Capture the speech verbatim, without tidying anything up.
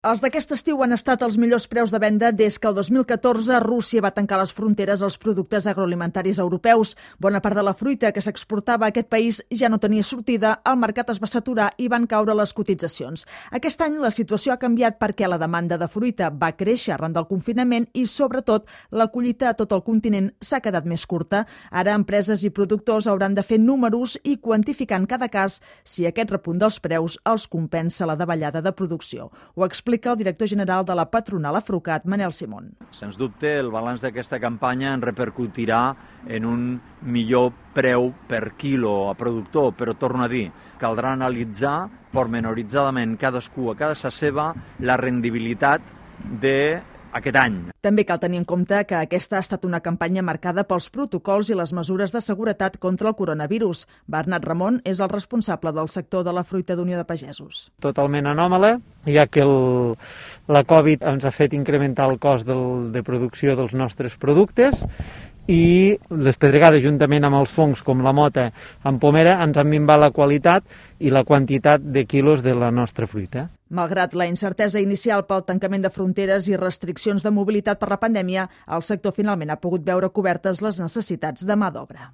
Els d'aquest estiu han estat els millors preus de venda des que el dos mil catorze Rússia va tancar les fronteres als productes agroalimentaris europeus. Bona part de la fruita que s'exportava a aquest país ja no tenia sortida, el mercat es va saturar i van caure les cotitzacions. Aquest any la situació ha canviat perquè la demanda de fruita va créixer arran del confinament i, sobretot, la collita a tot el continent s'ha quedat més curta. Ara, empreses i productors hauran de fer números i quantificar en cada cas si aquest repunt dels preus els compensa la davallada de producció. Ho explica explica el director general de la patronal Afrucat, Manel Simón. Sens dubte, el balanç d'aquesta campanya en repercutirà en un millor preu per quilo a productor, però torno a dir, caldrà analitzar pormenoritzadament cadascú a casa seva la rendibilitat de aquest any. També cal tenir en compte que aquesta ha estat una campanya marcada pels protocols i les mesures de seguretat contra el coronavirus. Bernat Ramon és el responsable del sector de la fruita d'Unió de Pagesos. Totalment anòmala, ja que el, la Covid ens ha fet incrementar el cost del, de producció dels nostres productes i les pedregades, juntament amb els fongs com la mota en pomera, ens han minvat la qualitat i la quantitat de quilos de la nostra fruita. Malgrat la incertesa inicial pel tancament de fronteres i restriccions de mobilitat per la pandèmia, el sector finalment ha pogut veure cobertes les necessitats de mà d'obra.